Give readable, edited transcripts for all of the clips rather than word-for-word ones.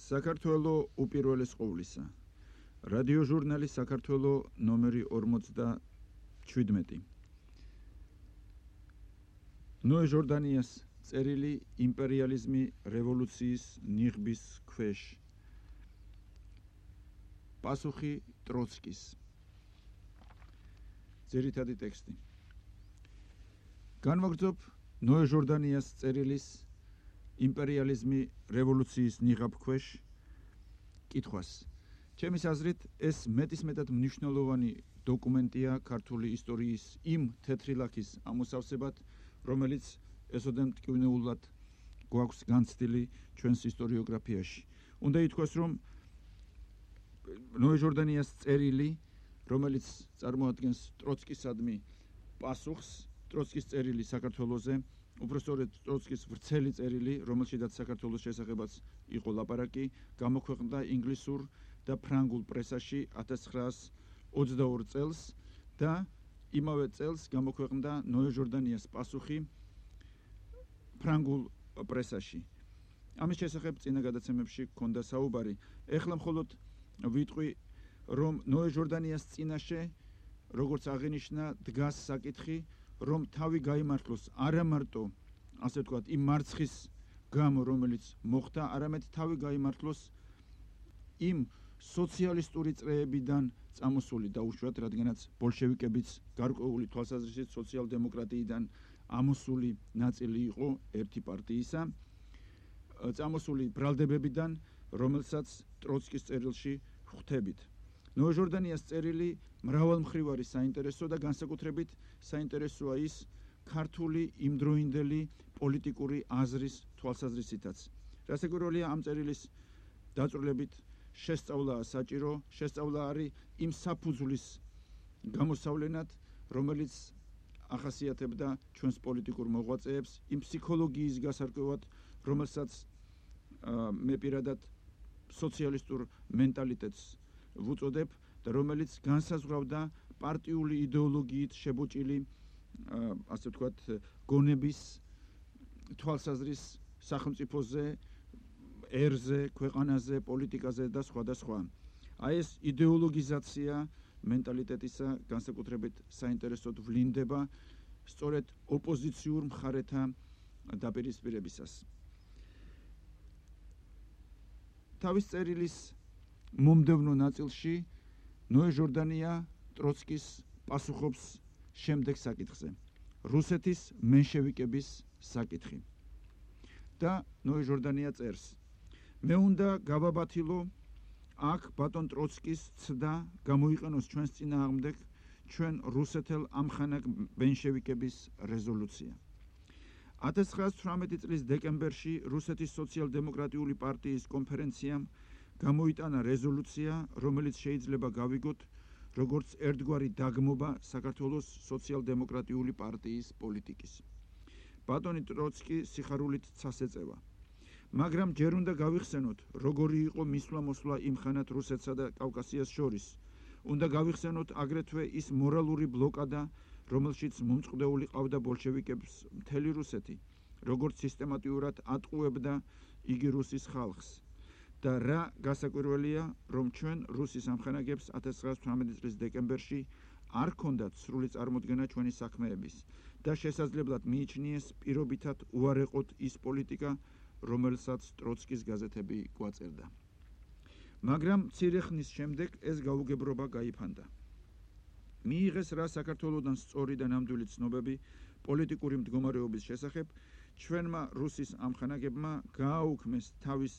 საქართველო უპირველეს ყოვლისა. რადიოჟურნალი საქართველო ნომერი 57. ნოე ჟორდანიას წერილი იმპერიალიზმი რევოლუციის ნიღბის ქვეშ. პასუხი ტროცკის. ძირითადი ტექსტი. განვაგრძობ ნოე ჟორდანიას წერილის იმპერიალიზმი რევოლუციის ნიღაბ ქვეშ კითხვას. ჩემის აზრით ეს მეტისმეტად მნიშვნელოვანი დოკუმენტია ქართული ისტორიის იმ თეთრი ლაქის ამოსავსებად, რომელიც ესოდენ მტკივნეულად გვაქვს განცდილი ჩვენს ისტორიოგრაფიაში. უნდა ითქვას, რომ ნოე ჟორდანიას წერილი, რომელიც წარმოადგენს ტროცკისადმი პასუხს, ტროცკის წერილი საქართველოზე, უბრალოდ ტროცკის ვრცელი წერილი, რომელშიც საქართველოს შესახებაც იყო ლაპარაკი, გამოქვეყნდა ინგლისურ და ფრანგულ პრესაში 1922 წელს და იმავე წელს გამოქვეყნდა ნოე ჟორდანიას პასუხი ფრანგულ პრესაში. ამის შესახებ წინა გადაცემებში გქონდა საუბარი. ეხლა მხოლოდ ვიტყვი, რომ ნოე ჟორდანიას წინაშე, როგორც აღინიშნა, დგას საკითხი, რომ თავი გაიმართლოს არა მარტო, ასე ვთქვათ, იმ მარცხის გამო, რომელიც მოხდა, არამედ თავი გაიმართლოს იმ სოციალისტური წრეებიდან წამოსული და უშუალოდ, რადგანაც ბოლშევიკებიც გარკვეული თვალსაზრისით სოციალ-დემოკრატიიდან ამოსული ნაწილი იყო ერთი პარტიისა, წამოსული ბრალდებებიდან, რომელსაც ტროცკის წერილში ხვდებით. ნოე ჟორდანიას წერილი მრავალმხრივარი საინტერესო და განსაკუთრებით საინტერესოა ის ქართული იმდროინდელი პოლიტიკური აზრის თვალსაზრისითაც. რასაკვირველია, ამ წერილის დაწვრილებით შესწავლაა საჭირო, შესწავლა არის იმ საფუძვლის გამოსავლენად, რომელიც ახასიათებდა ჩვენს პოლიტიკურ მოღვაწეებს, იმ ფსიქოლოგიის გასარკვევად, რომელსაც მე პირადად სოციალისტურ მენტალიტეტს ვუწოდებ და რომელიც განსაზღვრავდა პარტიული იდეოლოგიით შებოჭილი, ასე ვთქვათ, გონების თვალსაზრის სახელმწიფოზე, ერზე, ქვეყანაზე, პოლიტიკაზე და სხვა. აი ეს იდეოლოგიზაცია მენტალიტეტისა განსაკუთრებით საინტერესოდ ვლინდება სწორედ ოპოზიციურ მხარეთა დაპირისპირებისას. თავის წერილის მომდევნო ნაწილში ნოე ჟორდანია ტროცკის პასუხობს შემდეგ საკითხზე. რუსეთის მენშევიკების საკითხი. და ნოე ჟორდანია წერს: მე უნდა გავაბათილო აქ ბატონ ტროცკის ცდა გამოიყენოს ჩვენს წინააღმდეგ ჩვენ რუსეთელ ამხანაგ მენშევიკების რეზოლუცია. 1918 წლის დეკემბერში რუსეთის სოციალ-დემოკრატიული პარტიის კონფერენციამ გამოიტანა რეზოლუცია, რომელიც შეიძლება გავიგოთ როგორც ერთგვარი დაგმობა საქართველოს სოციალ-დემოკრატიული პარტიის პოლიტიკის. ბატონი ტროცკი სიხარულით ცას ეწევა. მაგრამ ჯერ უნდა გავიხსენოთ, როგორი იყო მისვლა-მოსვლა იმ ხანად რუსეთსა და კავკასიას შორის. უნდა გავიხსენოთ აგრეთვე ის მორალური ბლოკადა, რომელშიც მომწყდეული ყავდა ბოლშევიკებს მთელი რუსეთი, როგორც სისტემატიურად ატყუებდა იგი რუსის ხალხს. და რა გასაკვირველია, რომ ჩვენ რუსის ამხანაგებს 1918 წლის დეკემბერში არ ჰქონდათ სრული წარმოდგენა ჩვენი საქმეების და შესაძლებლად მიიჩნიეს პირობითად უარეყოთ ის პოლიტიკა, რომელსაც ტროცკის გაზეთები გვაწერდა. მაგრამ მცირე ხნის შემდეგ ეს გაუგებრობა გაიფანტა. მიიღეს რა საქართველოდან სწორი და ნამდვილი ცნობები პოლიტიკური მდგომარეობის შესახებ, ჩვენმა რუსის ამხანაგებმა გააუქმეს თავის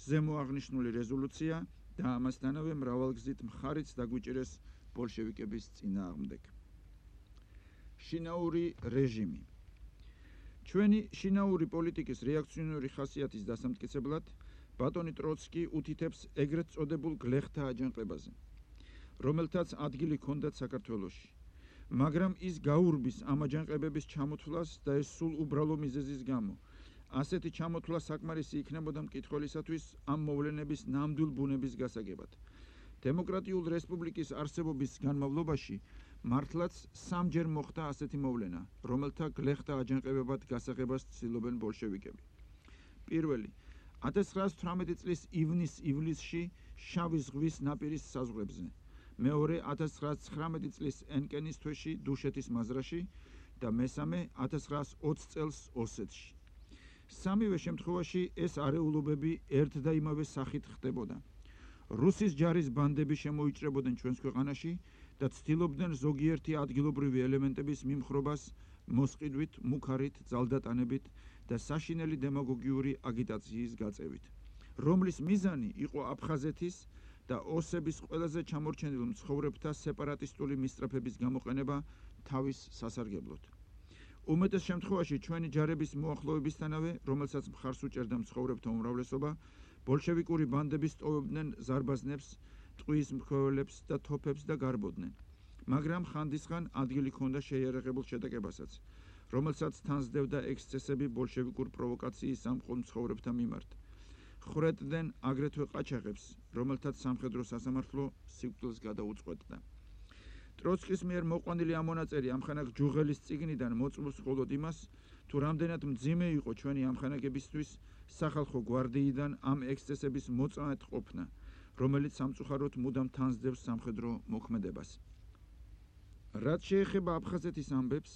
ზემოაღნიშნული რეზოლუცია და ამასთანავე მრავალგზით მხარიც დაგვიჭირეს ბოლშევიკების წინააღმდეგ. შინაური რეჟიმი. ჩვენი შინაური პოლიტიკის რეაქციონერი ხასიათის დასამტკიცებლად ბატონი ტროცკი უთითებს ეგრეთ წოდებულ გლეხთა აჯანყებაზე, რომელთაც ადგილი ჰქონდათ საქართველოში. მაგრამ ის გაურბის ამ აჯანყებების ჩამოთვლას და ეს სულ უბრალო მიზეზის გამო. ასეთი ჩამოთვლა საკმარისი იქნებოდა მკითხველისათვის ამ მოვლენების ნამდვილ ბუნების გასაგებად. დემოკრატიულ რესპუბლიკის არსებობის განმავლობაში მართლაც სამჯერ მოხდა ასეთი მოვლენა, რომელთა გლეხთა აჯანყებებად გასაღებას ცდილობენ ბოლშევიკები. პირველი 1918 წლის ივნის-ივლისში შავი ზღვის ნაპირის საზღვრებზე, მეორე 1919 წლის ენკენის თვეში დუშეთის მაზრაში და მესამე 1920 წელს ოსეთში. სამივე შემთხვევაში ეს არეულობები ერთ და იმავე სახით ხდებოდა. რუსის ჯარის ბანდები შემოიჭრებოდნენ ჩვენს ქვეყანაში და ცდილობდნენ ზოგიერთი ადგილობრივი ელემენტების მიმხრობას მოსყიდვით, მუქარით, ძალდატანებით და საშინელი დემაგოგიური აგიტაციის გაწევით, რომლის მიზანი იყო აფხაზეთის და ოსების ყველაზე ჩამორჩენილ მცხოვრებთა სეპარატისტული მისწრაფების გამოყენება თავის სასარგებლოდ. უმეტეს შემთხვევაში ჩვენი ჯარების მოახლოებისთანავე, რომელსაც მხარს უჭერდა მცხოვრებთა უმრავლესობა, ბოლშევიკური ბანდები სტოვებდნენ ზარბაზნებს, ტყუის მქონელებს და თოფებს და გარბოდნენ. მაგრამ ხანდისხან ადგილი ჰქონდა შეიარაღებულ შეტაკებასაც, რომელსაც თან სდევდა ექსცესები ბოლშევიკურ პროვოკაციის სამყარო მცხოვრებთა მიმართ. ხრეტდნენ აგრეთვე ყაჩაღებს, რომელთაც სამხედრო სასამართლო სიკვდილს გადაუწყვეტდა. ტროცკის მიერ მოყვანილი ამონაწერი ამხანაგ ჯუღელის წიგნიდან მოწმობს მხოლოდ იმას, თუ რამდენად მძიმე იყო ჩვენი ამხანაგებისთვის სახალხო გვარდიიდან ამ ექსცესების მოწამედ ყოფნა, რომელიც სამწუხაროდ მუდამ თან სდევს სამხედრო მოქმედებას. რაც შეეხება აფხაზეთის ამბებს,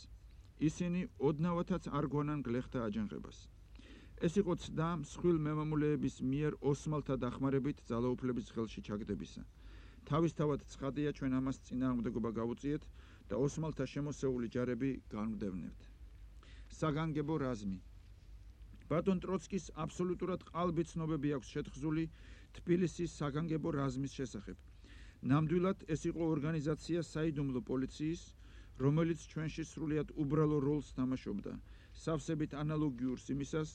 ისინი ოდნავათაც არ გვანან გლეხთა აჯანყებას. ეს იყო ცდა მსხვილ მემამულეების მიერ ოსმალთა დახმარებით ძალაუფლების ხელში ჩაგდებისა. თავისთავად ცხადია, ჩვენ ამას წინააღმდეგობა გავუწიეთ და ოსმალთა შემოსეული ჯარები განვდევნებთ. საგანგებო რაზმი. ბატონ ტროცკის აბსოლუტურად ყალბი ცნობები აქვს შეთხზული თბილისის საგანგებო რაზმის შესახებ. ნამდვილად ეს იყო ორგანიზაცია საიდუმლო პოლიციის, რომელიც ჩვენში სრულიად უბრალო როლს თამაშობდა, სავსებით ანალოგიურს იმისას,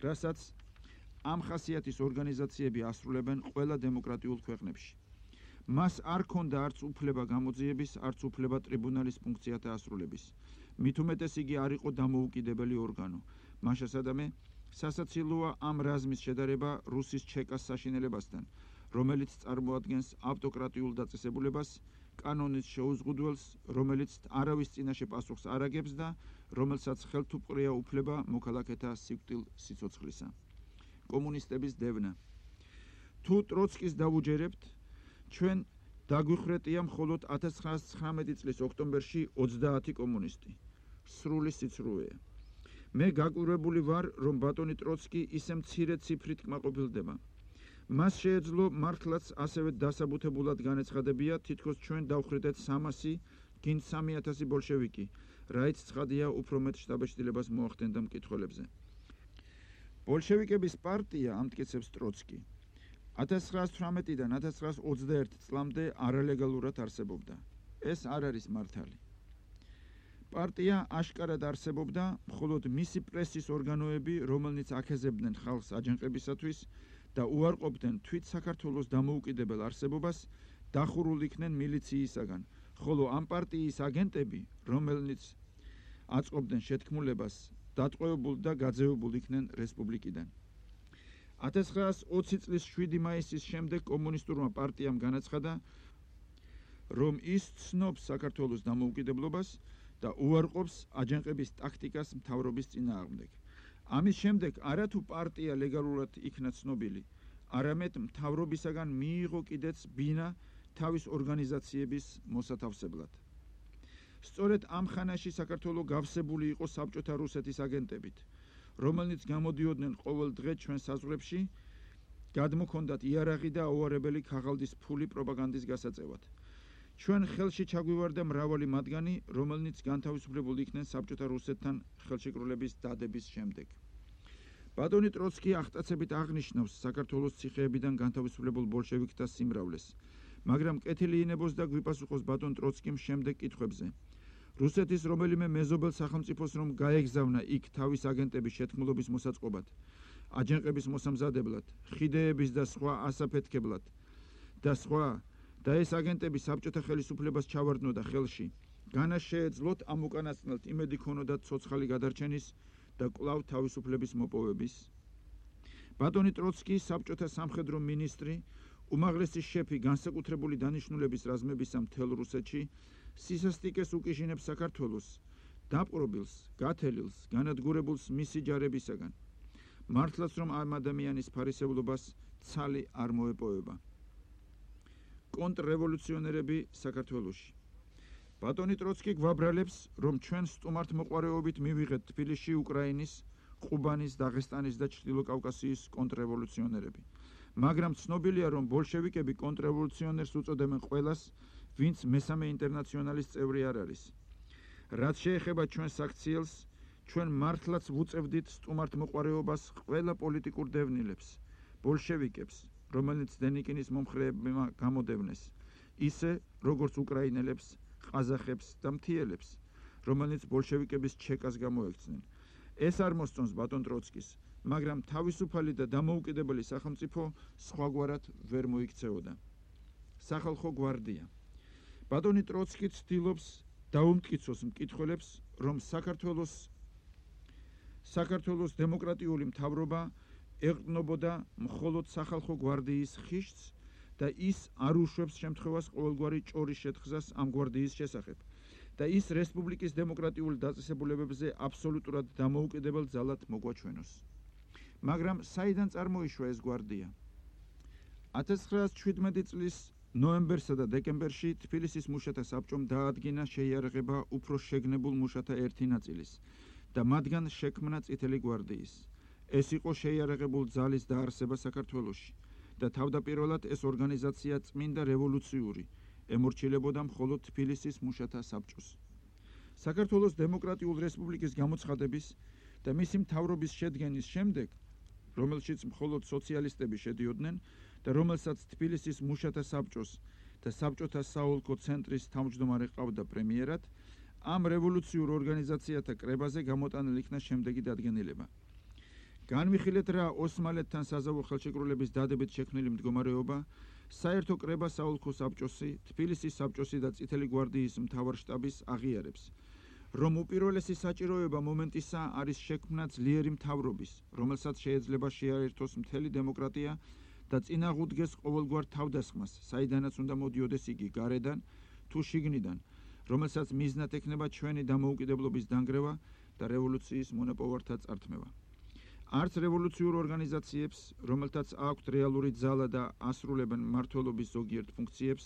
რასაც ამ ხასიათის ორგანიზაციები ასრულებენ ყველა დემოკრატიულ ქვეყნებში. მას არ ჰქონდა არც უფლება გამოძიების, არც უფლება ტრიბუნალის ფუნქციათა ასრულების. მით უმეტეს იგი არ იყო დამოუკიდებელი ორგანო. მაშასადამე, სასაცილოა ამ რაზმის შედარება რუსის ჩეკას საშინელებასთან, რომელიც წარმოადგენს ავტოკრატიულ დაწესებულებას, კანონის შეუზღუდველს, რომელიც არავის წინაშე პასუხს არ აგებს და რომელსაც ხელთუპყრია უფლება მოქალაქეთა სიკვდილ სიცოცხლისა. კომუნისტების დევნა. თუ ტროცკის დავუჯერებთ, ჩვენ დაგვიხრეტია მხოლოდ 1919 წლის ოქტომბერში 30 კომუნისტი. სრული სიცრუეა. მე გაკვირვებული ვარ, რომ ბატონი ტროცკი ისე მცირე ციფრით კმაყოფილდება. მას შეეძლო მართლაც ასევე დასაბუთებულად განეცხადებია, თითქოს ჩვენ დავხრიტეთ 300, გინდ 3000 ბოლშევიკი, რაიც ცხადია უფრო მეტ შტაბეშტილებას მოახდენდა მკითხველებზე. ბოლშევიკების პარტია, ამტკიცებს ტროცკი, 1918-დან 1921 წლამდე არალეგალურად არსებობდა. ეს არ არის მართალი. პარტია აშკარად არსებობდა, მხოლოდ მისი პრესის ორგანოები, რომელნიც აქეზებდნენ ხალხს აჯანყებისათვის და უარყოფდნენ თვით საქართველოს დამოუკიდებელ არსებობას, დახურულ იქნენ მილიციისაგან, ხოლო ამ პარტიის აგენტები, რომელნიც აწყობდნენ შეთქმულებას, დატყვევებულ და გაძევებულ იქნენ რესპუბლიკიდან. 1920 წლის 7 მაისის შემდეგ კომუნისტურმა პარტიამ განაცხადა, რომ ის ცნობს საქართველოს დამოუკიდებლობას და უარყოფს აჯანყების ტაქტიკას მთავრობის წინააღმდეგ. ამის შემდეგ არათუ პარტია ლეგალურად იქნა ცნობილი, არამედ მთავრობისაგან მიიღო კიდეც ბინა თავის ორგანიზაციების მოსათავსებლად. სწორედ ამ ხანაში საქართველო გავსებული იყო საბჭოთა რუსეთის აგენტებით, რომელნიც გამოდიოდნენ ყოველ დღე ჩვენ საზღვრებში, გადმოქონდათ იარაღი და აუარებელი ქაღალდის ფული პროპაგანდის გასაწევად. ჩვენ ხელში ჩაგვივარდა მრავალი მათგანი, რომელნიც განთავისუფლებული იქნენ საბჭოთა რუსეთთან ხელშეკრულების დადების შემდეგ. ბატონი ტროცკი აღტაცებით აღნიშნავს საქართველოს ციხეებიდან განთავისუფლებულ ბოლშევიკთა სიმრავლეს, მაგრამ კეთილი ინებოს და გვიპასუხოს ბატონ ტროცკიმ შემდეგ კითხვებზე. რუსეთის რომელიმე მეზობელ სახელმწიფოს რომ გაეგზავნა იქ თავის აგენტების შეთქმულობის მოსაწყობად, აჯანყების მოსამზადებლად, ხიდეების და სხვა ასაფეთქებლად და სხვა და ეს აგენტები საბჭოთა ხელისუფლებას ჩავარდნოდა ხელში, განას შეეძლოთ ამ უკანასკნელთ იმედი ქონოდათ ცოცხალი გადარჩენის და კვლავ თავისუფლების მოპოვების. ბატონი ტროცკი, საბჭოთა სამხედრო მინისტრი, უმაღლესი შეფი განსაკუთრებული დანიშნულების რაზმებისა მთელ რუსეთში, სისასტიკეს უკიჟინებს საქართველოს, დაპყრობილს, გათელილს, განადგურებულს მისი ჯარებისაგან. მართლაც რომ ამ ადამიანის ფარისევლობას ცალი არ მოეპოვება. კონტრრევოლუციონერები საქართველოში. ბატონი ტროცკი გვაბრალებს, რომ ჩვენ სტუმართმოყვარეობით მივიღეთ თბილისში უკრაინის, ყუბანის, დაღესტანის და ჩრდილოკავკასიის კონტრრევოლუციონერები. მაგრამ ცნობილია, რომ ბოლშევიკები კონტრრევოლუციონერს უწოდებენ ყველას, ვინც მესამე ინტერნაციონალის წევრი არ არის. რაც შეეხება ჩვენს აქციელს, ჩვენ მართლაც ვუწევდით სტუმართმოყვარეობას ყველა პოლიტიკურ დევნილებს, ბოლშევიკებს, რომელიც დენიკინის მომხრეებმა გამოდევნეს, ისე როგორც უკრაინელებს, ყაზახებს და მთიელებს, რომელიც ბოლშევიკების ჩეკას გამოექცნენ. ეს არ მოსწონს ბატონ ტროცკის, მაგრამ თავისუფალი და დამოუკიდებელი სახელმწიფო სხვაგვარად ვერ მოიქცეოდა. სახალხო გვარდია. ბატონი ტროცკი ცდილობს დაუმტკიცოს მკითხველებს, რომ საქართველოს დემოკრატიული მთავრობა ეყრდნობოდა მხოლოდ სახალხო გვარდიის ხიშს და ის არ უშვებს შემთხვევას ყოველგვარი ჭორის შეთხზას ამ გვარდიის შესახებ და ის რესპუბლიკის დემოკრატიულ დაწესებულებებზე აბსოლუტურად დამოუკიდებელ ძალად მოგვაჩვენოს. მაგრამ საიდან წარმოიშვა ეს გვარდია? 1917 წლის ნოემბერსა და დეკემბერში თბილისის მუშათა საბჭომ დაადგინა შეიარაღება უფრო შეგნებულ მუშათა ერთი ნაწილის და მათგან შექმნა წითელი გვარდიის. ეს იყო შეიარაღებულ ძალის დაარსება საქართველოში და თავდაპირველად ეს ორგანიზაცია წმინდა რევოლუციური ემორჩილებოდა მხოლოდ თბილისის მუშათა საბჭოს. საქართველოს დემოკრატიულ რესპუბლიკის გამოცხადების და მისი მთავრობის შედგენის შემდეგ, რომელშიც მხოლოდ სოციალისტები შედიოდნენ და რომელსაც თბილისის მუშათა საბჭოს და საბჭოთა საოლქო ცენტრის თავმჯდომარე ყავდა პრემიერად, ამ რევოლუციურ ორგანიზაციათა კრებაზე გამოტანილ იქნა შემდეგი დადგენილება. განვიხილეთ რა ოსმალეთთან საზავო ხელშეკრულების დადებით შექმნილი მდგომარეობა, საერთო კრება საოლქო საბჭოსი, თბილისის საბჭოსი და წითელი გვარდიის მთავარშტაბის აღიარებს, რომ უპირველესი საჭიროება მომენტისა არის შექმნა ძლიერი მთავრობის, რომელსაც შეიძლება შეაერთოს მთელი დემოკრატია და წინაღუდგეს ყოველგვარ თავდასხმას, საიდანაც უნდა მოდიოდეს იგი გარედან თუ შიგნიდან, რომელსაც მიზნად ექნება ჩვენი დამოუკიდებლობის დანგრევა და რევოლუციის მონაპოვართა წართმევა. არც რევოლუციურ ორგანიზაციებს, რომელთაც აქვთ რეალური ძალა და ასრულებენ მმართველობის ზოგიერთ ფუნქციებს,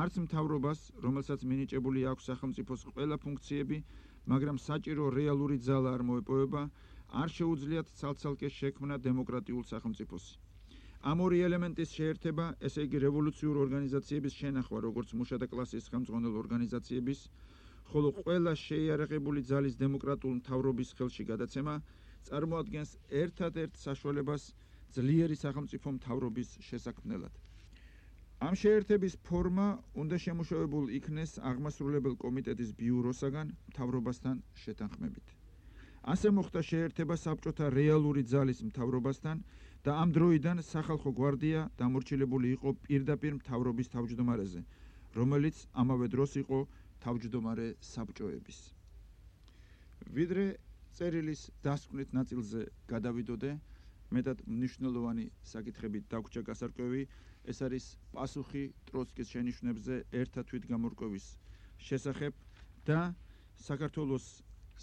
არც მთავრობას, რომელსაც მინიჭებული აქვს სახელმწიფოს ყველა ფუნქციები, მაგრამ საჭირო რეალური ძალა არ მოეპოვება, არ შეუძლიათ ცალ-ცალკე შექმნა დემოკრატიულ სახელმწიფოს. ამ ორი ელემენტის შეერთება, ესე იგი რევოლუციურ ორგანიზაციების შენახვა, როგორც მუშათა კლასის ხელმძღვანელ ორგანიზაციების, ხოლო ყველა შეიარაღებული ძალის დემოკრატიულ მთავრობის ხელში გადაცემა წარმოადგენს ერთადერთ საშუალებას ძლიერი სახელმწიფო მთავრობის შესაქმნელად. ამ შეერთების ფორმა უნდა შემუშავებულ იქნეს აღმასრულებელ კომიტეტის ბიუროსაგან მთავრობასთან შეთანხმებით. ასე მოხდა შეერთება საბჭოთა რეალური ძალის მთავრობასთან და ამ დროიდან სახალხო გვარდია დამორჩილებული იყო პირდაპირ მთავრობის თავმჯდომარეზე, რომელიც ამავე დროს იყო თავმჯდომარე საბჭოების. ვიდრე წერილის დასკვნით ნაწილზე გადავიდოდე, მეტად მნიშვნელოვანი საკითხებით დაგვრჩა გასარკვევი, ეს არის პასუხი ტროცკის შენიშვნებზე ერთა თვითგამორკვევის შესახებ და საქართველოს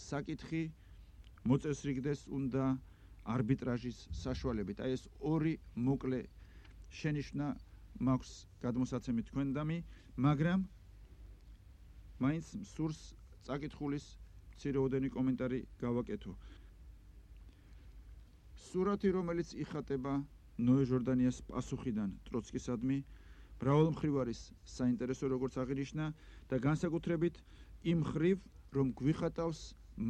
საკითხი მოწესრიგდეს უნდა არბიტრაჟის საშუალებით. აი ეს ორი მოკლე შენიშვნა მაქვს გადმოსაცემი თქვენდამი, მაგრამ მაინც სურს წაკითხulis მცირეოდენი კომენტარი გავაკეთო. სურათი, რომელიც იხატება ნოე ჟორდანიას პასუხიდან ტროცკისადმი, მრავალმხრივ არის საინტერესო, როგორც აღინიშნა და განსაკუთრებით იმ მხრივ, რომ გვიხატავს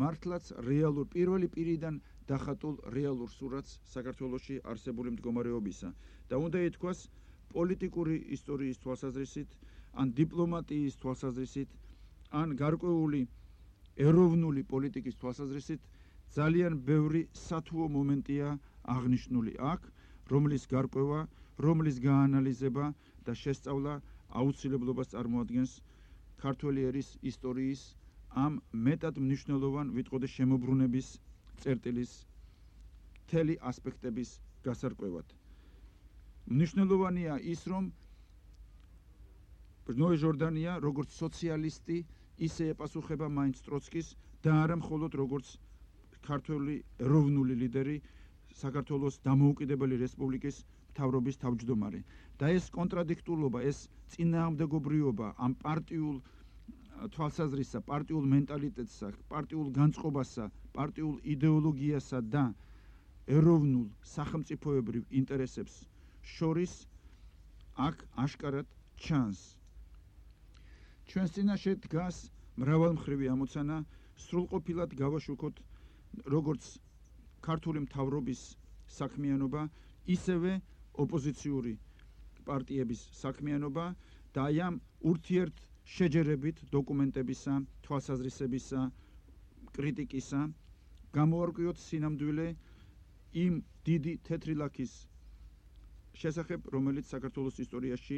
მართლაც რეალურ პირველი პირიდან დახატულ რეალურ სურათს საქართველოში არსებული მდგომარეობისა და უნდა ითქვას პოლიტიკური ისტორიის თვალსაზრისით, ან დიპლომატიის თვალსაზრისით, ან გარკვეული ეროვნული პოლიტიკის თვალსაზრისით ძალიან ბევრი სათუო მომენტია აღნიშნული აქ, რომლის გარკვევა, რომლის გაანალიზება და შესწავლა აუცილებლობას წარმოადგენს ქართველი ერის ისტორიის ამ მეტად მნიშვნელოვან ვიტყოდი შემოbrunების წერტილის მთელი ასპექტების გასარკვევად. მნიშვნელოვანია ის, რომ ნოე ჟორდანია როგორც სოციალისტი ისე ეპასუხება მაინც ტროცკის და არა მხოლოდ როგორც ქართველი ეროვნული ლიდერი საქართველოს დამოუკიდებელი რესპუბლიკის მთავრობის თავმჯდომარე. და ეს კონტრადიქტულობა, ეს წინააღმდეგობრიობა ამ პარტიულ თვალსაზრისსა, პარტიულ მენტალიტეტსა, პარტიულ განწყობასა, პარტიულ იდეოლოგიასა და ეროვნულ სახელმწიფოებრივ ინტერესებს შორის აქ აშკარად ჩანს. ჩვენს წინაშე დგას მრავალმხრივი ამოცანა, სრულყოფილად გავაშუქოთ როგორც ქართული მთავრობის საქმიანობა, ისევე ოპოზიციური პარტიების საქმიანობა და აი ამ ურთიერთ შეჯერებით დოკუმენტებისა, თვალსაზრისებისა, კრიტიკისა გამოვარკვიოთ სინამდვილე იმ დიდი თეთრი ლაქის შესახებ, რომელიც საქართველოს ისტორიაში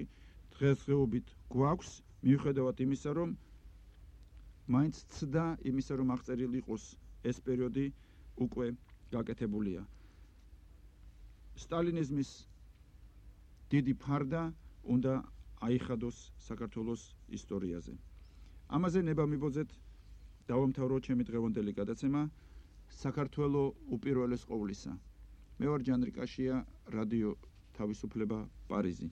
დღესდღეობით გვაქვს, მიუხედავად იმისა, რომ მაინც ცდა იმისა, რომ აღწერილი იყოს ეს პერიოდი უკვე გაკეთებულია. სტალინიზმის დიდი ფარდა უნდა აიხადოს საქართველოს ისტორიაზე. ამაზე ნება მიბოძეთ დავამთავრო ჩემი დღევანდელი გადაცემა საქართველო უპირველეს ყოვლისა. მე ვარ ჯანრი კაშია, რადიო თავისუფლება, პარიზი.